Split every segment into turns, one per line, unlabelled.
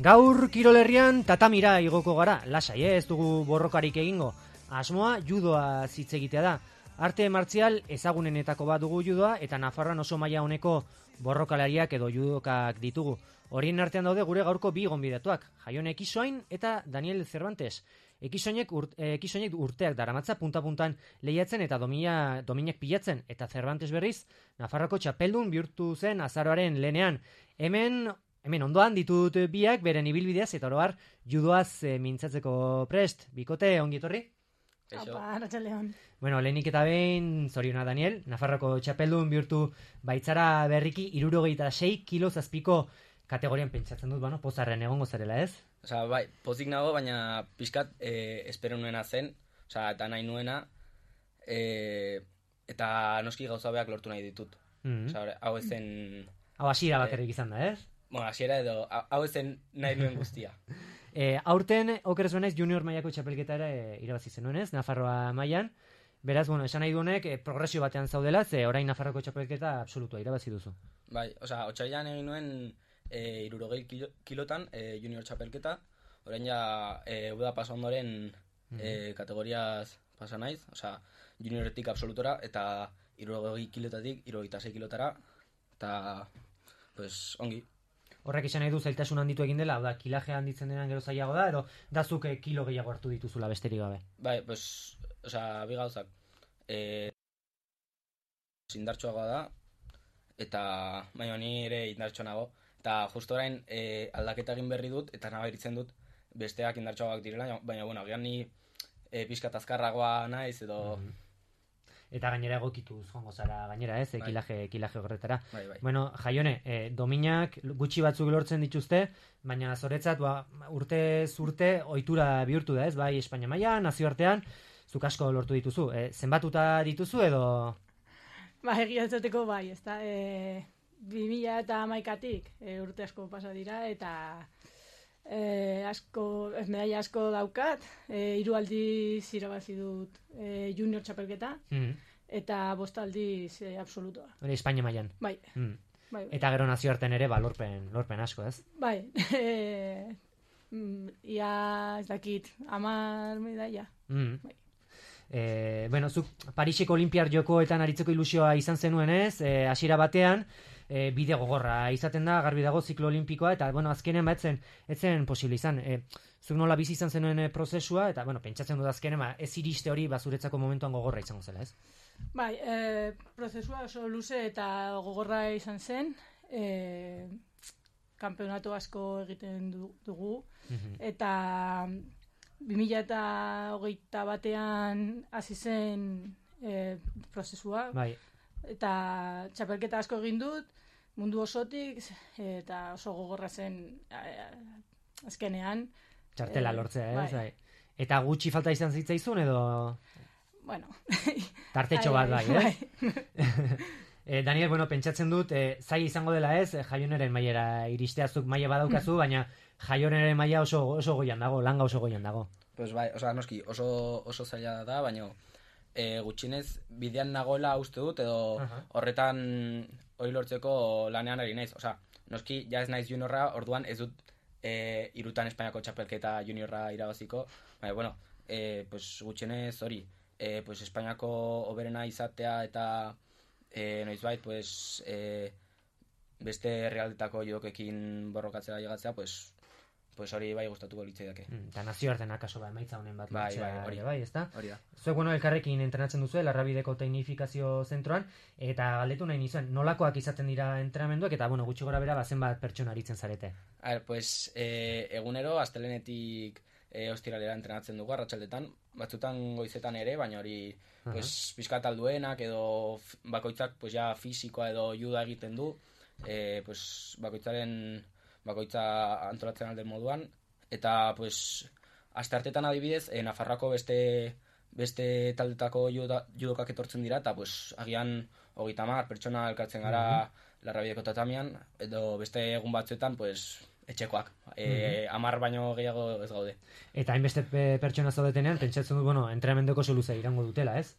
Gaur kirolerrian tatamira igoko gara, lasai, ez dugu borrokarik egingo. Asmoa judoa hitz egitea da. Arte martzial ezagunenetako bat dugu judoa eta Nafarroan oso maila honeko borrokalariak edo judokak ditugu. Horien artean daude gure gaurko bi gonbidatuak, Jaione Ekisoain eta Daniel Cervantes. Ekisoinek urteak daramatza punta-puntan lehiatzen eta dominak pilatzen, eta Cervantes berriz Nafarroko txapeldun bihurtu zen azaroaren lehenean. Hemen ondoan ditut biak beren ibilbideaz eta oroar judoaz mintzatzeko prest. Bikote, ongi etorri?
Apa, arratsaldeon.
Bueno, lehenik eta behin, zoriona Daniel, Nafarroko txapeldun bihurtu baitzara berriki 76 kilo zazpiko kategorian pentsatzen dut, pozarren egongo zarela, ez?
Osa, bai, pozik nago, baina pixkat espero nuena zen, eta nahi nuena, eta noski gauza beak lortu nahi ditut. Osa, hau ezen...
Hau hasiera bakarrik izan da, ez?
Bueno, hasiera edo, hau ezen nahi nuen guztia.
Aurten, okerez benaiz, junior mailako txapelketa ere irabazi zenuen, ez? Nafarroa mailan. Beraz, esan nahi duenek, progresio batean zaudela, ze orain Nafarroko txapelketa absolutua irabazi duzu.
Bai, osa, otsailean egin nuen 60 kilotan junior txapelketa, orain ja uda pasa ondoren kategoriaz pasa naiz, osa, junioretik absolutora eta 60 kilotatik 66 kilotara, eta, pues, ongi.
Horrek izan nahi du zailtasun handitu egin dela, da, kilajea handitzen denan gero zailago da, edo dazuk kilo gehiago hartu dituzula besterik gabe?
Bai, pues, osa, bi gauzak. Indartsuagoa da, eta baina ni ere indartsu nago. Eta justo orain aldaketa egin berri dut, eta nabaritzen dut besteak indartsuagoak direla, baina, agian ni pixkat azkarragoa naiz, edo...
Eta gainera egokituz joango zara gainera, ez?
Bai.
Kilaje horretara.
Bai.
Bueno, Jaione, dominak gutxi batzuk lortzen dituzte, baina zoretzat urtez urte ohitura bihurtu da, ez? Bai, Espainia mailan, nazioartean, zuk asko lortu dituzu. Zenbatuta dituzu edo...
Ba, egia esateko bai, ezta? 2011tik urte asko pasa dira, eta medalla asko daukat, 3 aldiz irabazi dut junior txapelketa, eta 5 aldiz absolutoa.
Hori Espainia mailan.
Bai. Bai.
Eta gero nazioartean ere, lorpen asko, ez?
Bai. Ia ez dakit, 10 medalla. Bai.
Zuk Pariseko Olinpiar Jokoetan aritzeko ilusioa izan zenuen, ez? Hasiera batean, bide gogorra izaten da, garbi dago ziklo olimpikoa, eta, azkenean etzen posible izan. Zuk nola bizi izan zenuen prozesua, eta, pentsatzen dut azkenean, ez iriste hori bazuretzako momentuan gogorra izango zela, ez?
Bai, prozesua oso luze eta gogorra izan zen, kanpeonato asko egiten dugu, eta 2021 batean hasi zen prozesua,
bai.
Eta txapelketa asko egin dut, mundu osotik, eta oso gogorra zen azkenean.
Txartela lortzea, ez?
Bai.
Eta gutxi falta izan zitzaizun, edo...
Bueno.
Tartetxo bat bai, ez? Daniel, pentsatzen dut, zaila izango dela ez, Jaioneren mailera iristeazuk maila badaukazu, baina Jaioneren maila oso goian dago, langa oso goian dago.
Pues bai, noski, oso zaila da, baina gutxinez bidean nagoela uste dut, edo horretan hori lortzeko lanean ari naiz. Noski, ja ez naiz juniorra, orduan ez dut 3 Espainiako txapelketa juniorra irabaziko, baina, pues gutxinez hori, pues Espainiako oberena izatea eta noizbait, pues beste herrialdetako judokekin borrokatzera llegatzea, pues hori bai gustatuko litzaidake.
Eta nazioartean akaso emaitza honen bat
hori
bai, ezta?
Hori da.
Zuek elkarrekin entrenatzen duzu Larrabideko Teknifikazio Zentroan, eta galdetu nahi nizuen, nolakoak izaten dira entrenamenduak, eta gutxi gora bera zenbat pertsona aritzen zarete?
Pues egunero astelehenetik ostiralera entrenatzen dugu arratsaldetan, batzutan goizetan ere, baina hori pues pixkat alduenak edo bakoitzak pues ja fisikoa edo juda egiten du, pues bakoitza antolatzen alden moduan, eta pues asteartetan adibidez Nafarroako beste taldetako judokak etortzen dira, eta pues agian 30 pertsona elkartzen gara Larrabideko tatamian, edo beste egun batzuetan pues etxekoak, 10 baino gehiago ez gaude.
Eta hainbeste pertsona zaudetenean, pentsatzen dut, entrenamenduko oso luze irango dutela, ez?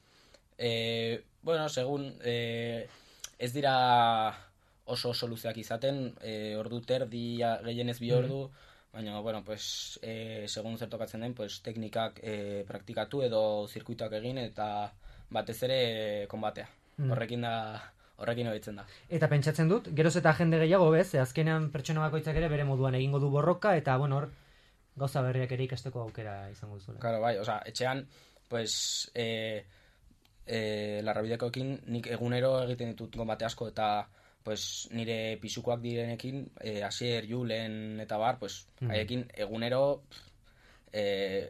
Segun ez dira oso luzeak izaten, ordu terdi, gehienez 2 ordu, baina, bueno, pues, segun zer tokatzen den, pues, teknikak praktikatu edo zirkuituak egin, eta batez ere konbatea. Horrekin hobetzen da.
Eta pentsatzen dut, geroz eta jende gehiago bez, azkenean pertsona bakoitzak ere bere moduan egingo du borroka, eta, bueno, hor, gauza berriak ere ikasteko aukera izango duzuela.
Claro, bai, etxean, pues, larrabidekoekin nik egunero egiten ditut konbate asko, eta pues, nire pisukoak direnekin, Asier, Julen eta bar, pues, haiekin egunero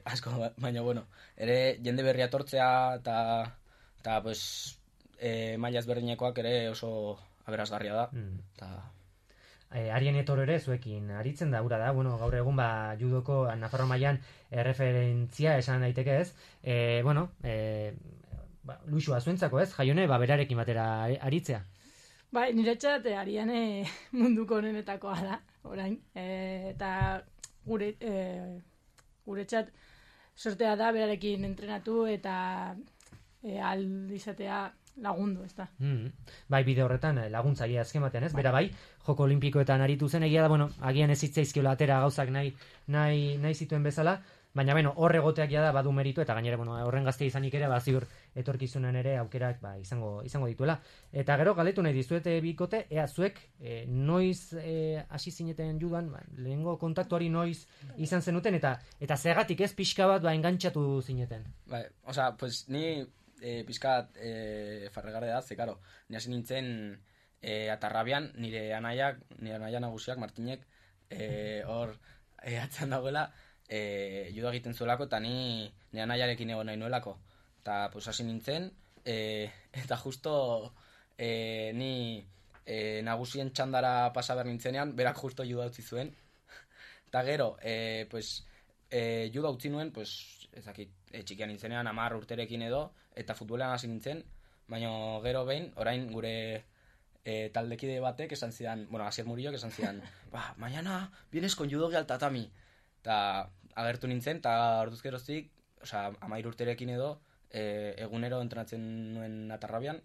asko, baina, bueno, ere jende berria tortzea eta pues, maila ezberdinekoak ere oso aberasgarria da.
Arien Etoro ere zuekin aritzen da, ura da, bueno, gaur egun judoko Nafarro mailan erreferentzia esan daiteke ez, luxua zuentzako ez, Jaione, berarekin batera aritzea.
Bai, niretzat Ariane munduko honenetakoa da, orain, eta guretzat sortea da berarekin entrenatu eta izatea lagundu, ez da.
Bai, bide horretan laguntzaile azken batean, ez? Bera bai, joko olimpikoetan aritu zen, egia da, bueno, agian ez zitzaizkiola atera gauzak nahi zituen bezala, baina, bueno, hor egoteak ja da badu meritu, eta gainera, bueno, horren gazte izanik ere, ziur etorkizunan ere aukerak izango dituela. Eta gero, galetu nahi dizuete bikote, ea zuek, noiz hasi zineten judan, lehengo kontaktuari noiz izan zenuten, eta zegatik ez pixka bat engantxatu zineten.
Bai, pues ni pixkat farregarde da, ze, karo, ni hasi nintzen Atarrabian, nire anaia nagusiak, Martinek, hor atzan dagoela, judo egiten zuelako, eta nire anaiarekin egon nahi nuelako. Eta, pues, hasi nintzen, eta justo ni nagusien txandara pasa behar nintzenean, berak justo judo utzi zuen. Eta gero, pues, judo utzi nuen, pues, ezakit, txikian nintzenean, 10 urterekin edo, eta futbolean hasi nintzen, baina gero behin, orain gure taldekide batek esan zidan, bueno, Asier Murillo esan zidan, mañana vienes con judo al tatami. Eta agertu nintzen, eta orduz geroztik, 13 urterekin edo, egunero entrenatzen nuen Atarrabian,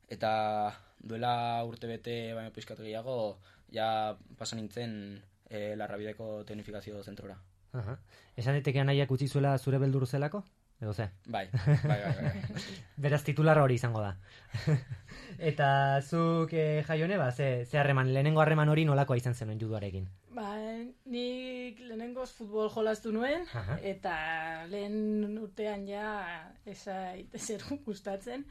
eta duela urte bete baino pixkat gehiago, ja pasa nintzen Larrabideko teknifikazio zentrora.
Esan daiteke anaiak utzi zuela zure beldur zelako? Edo ze?
Bai.
Beraz titularra hori izango da. Eta zuk, Jaione, ze harreman, lehenengo harreman hori nolakoa izan zenuen juduarekin?
Nik lehenengoz futbol jolastu nuen, eta lehen urtean ja ezer gustatzen,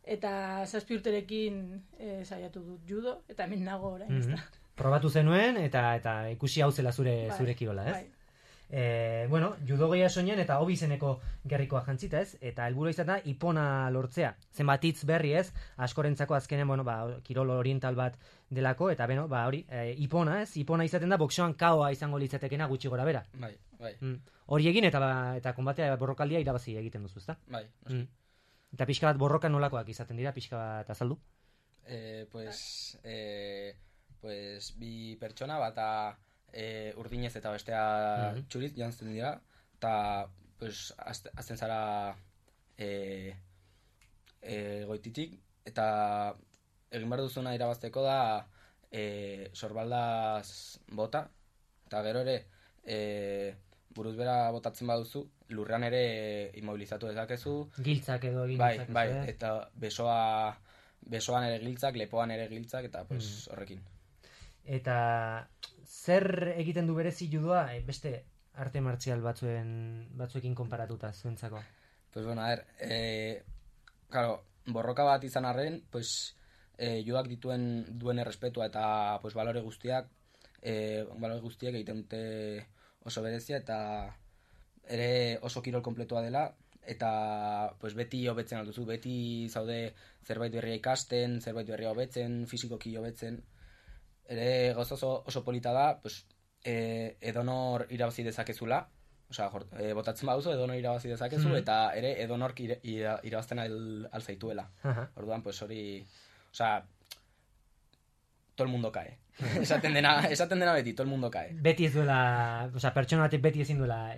eta 7 urterekin saiatu dut judo, eta hemen nago orain, ez da.
Probatu zenuen, eta ikusi hau zela zure kirola, ez?
Bai.
Judo gehia soinean eta hobi izeneko gerrikoa jantzita, ez? Eta helburua izan da ipona lortzea. Zenbat hitz berri, ez? Askorentzako azkenen, kirol oriental bat delako, eta hori, ipona, ez? Ipona izaten da boxeoan kaoa izango litzatekena gutxi gora bera.
Bai.
Hori egin eta konbatea borrokaldia irabazi egiten duzu, ezta?
Bai.
Eta pixka bat borroka nolakoak izaten dira, pixka bat azaldu?
Pues bi pertsona bata urdinez eta bestea txuriz jantzen dira, eta pues, azten zara goititik, eta egin behar duzuna irabazteko da sorbaldaz bota, eta gero ere buruz bera botatzen baduzu, lurrean ere immobilizatu dezakezu.
Giltzak edo egin dezakezu.
Bai, eta besoan ere giltzak, lepoan ere giltzak, eta pues, horrekin.
Eta zer egiten du berezi judoa beste arte martzial batzuekin konparatuta zuentzako?
Pues bueno, claro, borroka bat izan arren, pues judoak duen errespetua eta pues balore guztiak egiten dute oso berezia, eta ere oso kirol kompletua dela, eta pues beti hobetzen alduzu, beti zaude zerbait berria ikasten, zerbait berria hobetzen, fisikoki hobetzen. Ere gauza oso polita da, pues, edonor irabazi dezakezula, botatzen baduzu edonor irabazi dezakezu, eta ere edonork irabazten alzaituela. Orduan, pues hori, todo el mundo cae. Esaten dena beti, todo el mundo cae.
Beti ez duela, pertsona batek beti ezin duela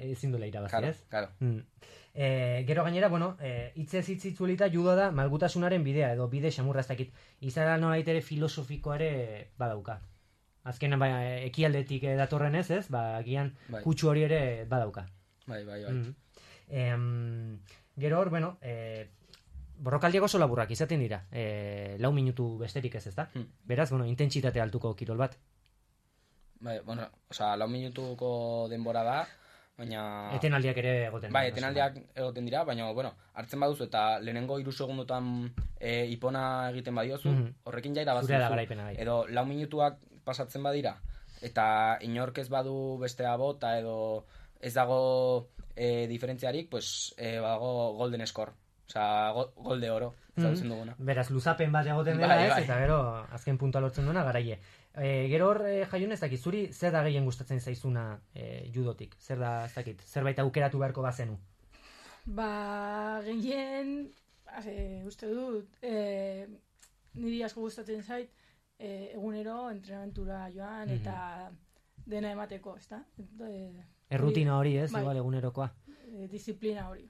irabazi, ez?
Claro.
Gero gainera, hitzez hitzuelita judoa da malgutasunaren bidea, edo bide xamurra ez dakit. Izara nolait ere filosofikoa ere badauka. Azken ekialdetik datorren ez, agian kutsu hori ere badauka.
Bai.
Gero hor, bueno, borrokaldiak oso laburrak izaten dira. 4 minutu besterik ez, ezta? Beraz, bueno, intentsitate altuko kirol bat.
Bai, bueno, osea, 4 minutuko denbora da, baina...
Etenaldiak ere egoten dira.
Bai, etenaldiak egoten dira, baina, bueno, hartzen baduzu eta lehenengo 3 segundotan ipona egiten badiozu, horrekin jaira bazuzu. Edo 4 minutuak pasatzen badira, eta inork ez badu bestea bota, edo ez dago diferentziarik, pues, badago golden score. Osea, gol de oro, zautzen duguna.
Beraz, luzapen bat egoten dela ez, eta gero, azken puntua lortzen duena, garaie. Gero hor, Jaiun, ez dakit, zuri zer da gehien gustatzen zaizuna judotik? Zer da, ez dakit, zerbait aukeratu beharko bazenu?
Gehien, uste dut, niri asko gustatzen zait, egunero entrenamentura joan, eta dena emateko, ezta?
Errutina hori ez, igual egunerokoa.
Disiplina hori.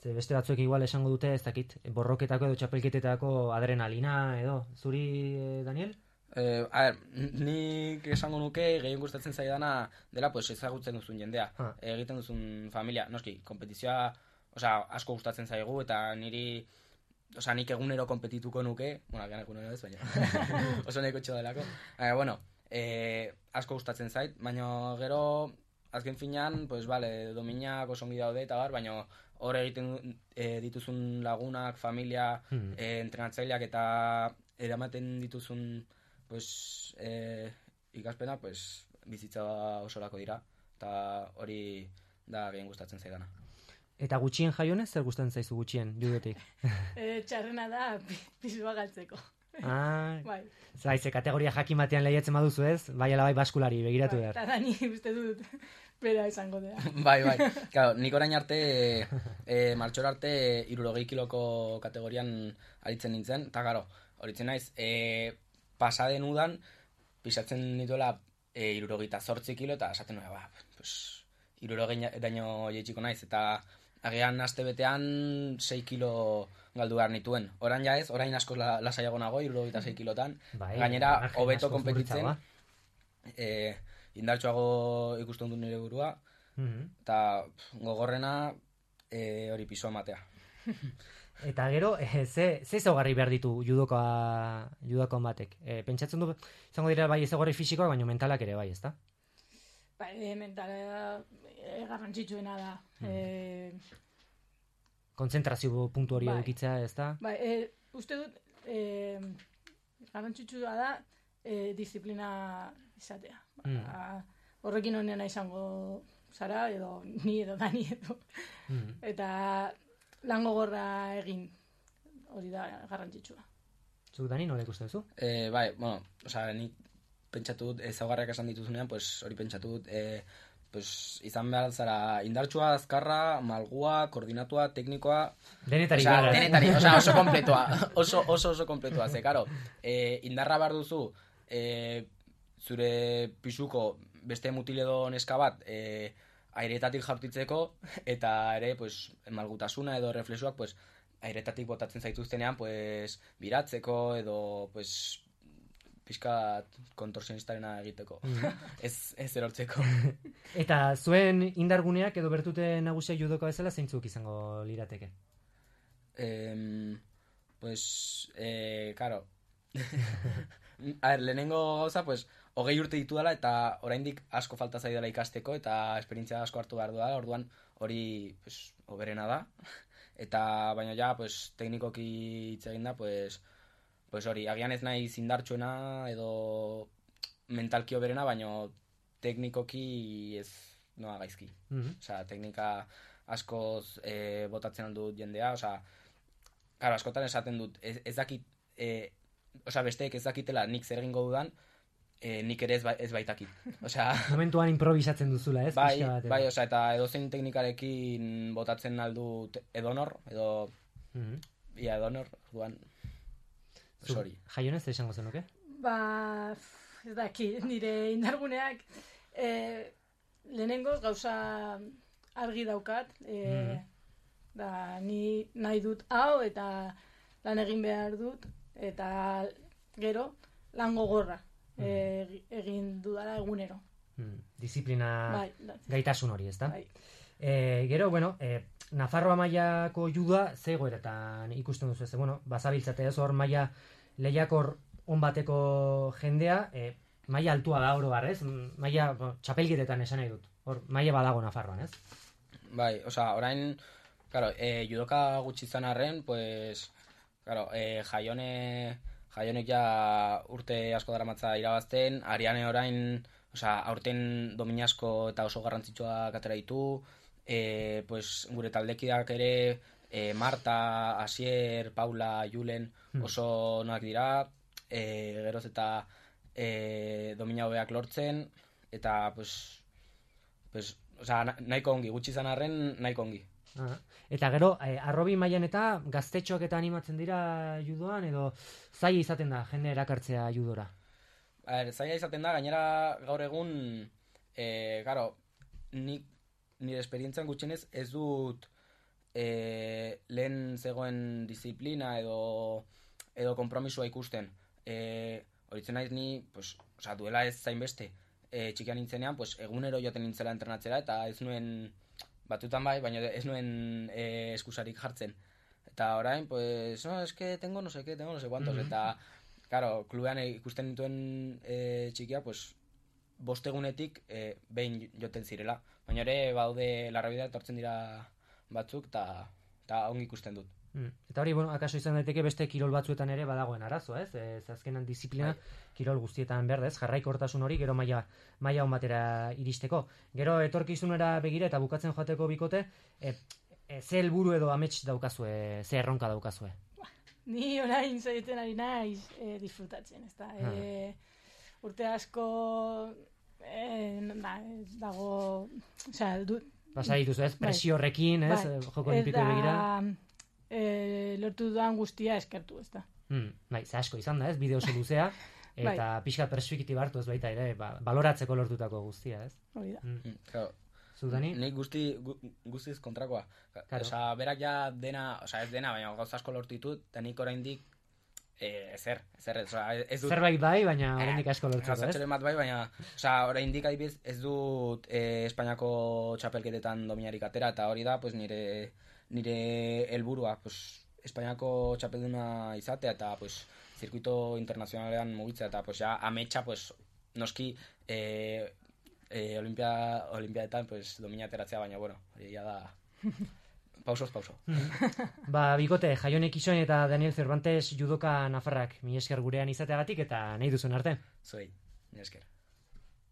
Ze beste batzuek igual esango dute, ez dakit, borroketako edo txapelketetako adrenalina edo. Zuri, Daniel?
Nik esango nuke gehien gustatzen zaidana dela pues ezagutzen duzun jendea, egiten duzun familia, noski, kompetizioa, osea, asko gustatzen zaigu eta niri, osea, nik egunero kompetituko nuke, bueno, agian egunero ez, baina oso neko txo delako. Bueno, asko gustatzen zait, baina gero azken finean, pues vale, dominak oso ongi daude eta bar, baina hor egiten dituzun lagunak, familia, entrenatzaileak eta eramaten dituzun pues, ikaspena pues, bizitza osorako dira, eta hori da gehien gustatzen zaidana.
Eta gutxien Jaionez, zer gustatzen zaizu gutxien, judotik?
Txarrena da pisua galtzeko.
Bai. Zaize, kategoria jakin batean lehiatzen baduzu ez, bai ala bai baskulari, begiratu behar.
Eta Dani uste dut, bera izango dela.
Bai. Claro, nik orain arte, martxora arte, 60 kiloko kategorian aritzen nintzen, eta garo, horitzen naiz, pasaden udan, pisatzen nituela 68 kilo, eta esaten nuen, pues, 60 daño jeitsiko naiz, eta agian aste betean 6 kilo galdu behar nituen. Orain ja ez, orain asko lasaiago nago, 66 kilotan. Gainera, hobeto konpetitzen, indartsuago ikusten dut nire burua, eta gogorrena hori pisua matea.
Eta gero, ze ezaugarri behar ditu judokoan batek? Pentsatzen du, izango dira bai ezaugarri fisikoak, baina mentalak ere bai, ezta?
Bai, mentala garrantzitsuena da.
Kontzentrazio puntu hori edukitzea, ezta?
Bai, uste dut, garrantzitsua da disiplina izatea. Horrekin honena izango zara, edo ni edo Dani edo. Eta lan gogorra egin, hori da garrantzitsua.
Zuk, Dani, nola ikusten duzu?
Bai, bueno, osea, nik pentsatu dut, ezaugarriak esan dituzunean, pues hori pentsatu dut, pues izan behar zara indartsua, azkarra, malgua, koordinatua, teknikoa...
Denetari
gara.
O sea,
denetari, oso kompletoa, oso kompletoa, ze, karo, indarra behar duzu, zure pisuko beste mutiledo neska bat, airetatik jaurtitzeko, eta ere, pues, malgutasuna edo reflexuak, pues, airetatik botatzen zaituztenean, pues, biratzeko, edo, pues, pixkat kontorsionistarena egiteko. Ez erortzeko.
Eta zuen indarguneak edo bertute nagusia judoko bezala zeintzuk izango lirateke?
Pues, claro. A ver, lehenengo gauza, pues, 20 urte ditu dela eta oraindik asko falta zaidala ikasteko eta esperientzia asko hartu behar duela, orduan hori pues, oberena da. Eta baina ja, pues, teknikoki hitz egin da, pues hori, agian ez nahi zindartsuena edo mentalki oberena, baina teknikoki ez noa gaizki. Osea, teknika askoz botatzen aldut jendea, osea, claro, askotan esaten dut, ez dakit, osea, besteek ez dakitela nik zer egingo dudan, nik ere ez baitakit. Osea,
momentuan improvisatzen duzula, ez?
Bai, osea, eta edozein teknikarekin botatzen aldut edonor, edo ia edonor, orduan hori.
Jaionez esango zenuke?
Ez daki, nire indarguneak lehenengoz gauza argi daukat, da ni nahi dut hau eta lan egin behar dut, eta gero lan gogorra egin dudala egunero.
Disiplina gaitasun hori, ezta?
Bai.
Gero, bueno, Nafarroa mailako judua ze egoeretan ikusten duzu ez? Bueno, bazabiltzate ez hor maila lehiakor on bateko jendea, maila altua da oro har, ez? Maila txapelketetan esan nahi dut. Hor maila badago Nafarroan, ez?
Bai, osea, orain, claro, judoka gutxi izan arren, pues, claro, Jaionek ja urte asko daramatza irabazten, Ariane orain, osea, aurten domina asko eta oso garrantzitsuak atera ditu, pues, gure taldekideak ere, Marta, Asier, Paula, Julen, oso onak dira, geroz eta domina hobeak lortzen, eta, pues, osea, nahiko ongi, gutxi izan arren, nahiko ongi.
Eta gero, arrobi mailan eta gaztetxoak eta animatzen dira judoan, edo zaila izaten da jende erakartzea judora?
Zaila izaten da, gainera gaur egun, claro, nire esperientzian gutxienez ez dut lehen zegoen disiplina edo konpromisua ikusten. Horitzen naiz ni, pues, osea, duela ez zainbeste, txikian nintzenean, pues, egunero joaten nintzela entrenatzera, eta ez nuen, batutan bai, baina ez nuen eskusarik jartzen. Eta orain, pues, no, es que tengo no sé qué, tengo no sé cuántos, eta, claro, klubean ikusten nituen txikia, pues, 5 egunetik behin joten zirela. Baina ere, baude larrabidea etortzen dira batzuk, eta ongi ikusten dut.
Eta hori, bueno, akaso izan daiteke beste kirol batzuetan ere badagoen arazo, ez? Azkenan disiplina kirol guztietan behar, ez? Jarraikortasun hori gero maila on batera iristeko. Gero etorkizunera begira eta bukatzen joateko bikote, ze helburu edo amets daukazue, ze erronka daukazue?
Ni orain zaiten ari naiz disfrutatzen, ez da? Urte asko dago, osea,
pasa dituzu, ez? Presio horrekin, ez? Joko olimpikoei begira.
Lortu dudan guztia eskertu, ez da.
Bai, ze asko izan da, ez? Bide oso luzea, eta pixka perspektiba hartu ez baita ere, baloratzeko lortutako guztia, ez?
Hori da.
Zudani?
Nik guztiz kontrakoa. Osa, berak ja dena, osa ez dena, baina gauza asko lortu ditut, eta nik oraindik ezer, ez dut...
Zerbait bai, baina oraindik asko lortzeko, ez?
Zatxoren bat bai, baina, osa, oraindik adibidez ez dut Espainiako txapelketetan dominarik atera, eta hori da, pues, nire helburua, pues, Espainiako txapelduna izatea, eta, pues, zirkuito internazionalean mugitzea, eta, pues, ja, ametsa, pues, noski, olimpiadetan, pues, domina ateratzea, baina, bueno, hori ja da... Pausoz.
Bikote, Jaionek Ixoin eta Daniel Cervantes judoka nafarrak, mi esker gurean izateagatik eta nahi duzun arte.
Zuei, mi esker.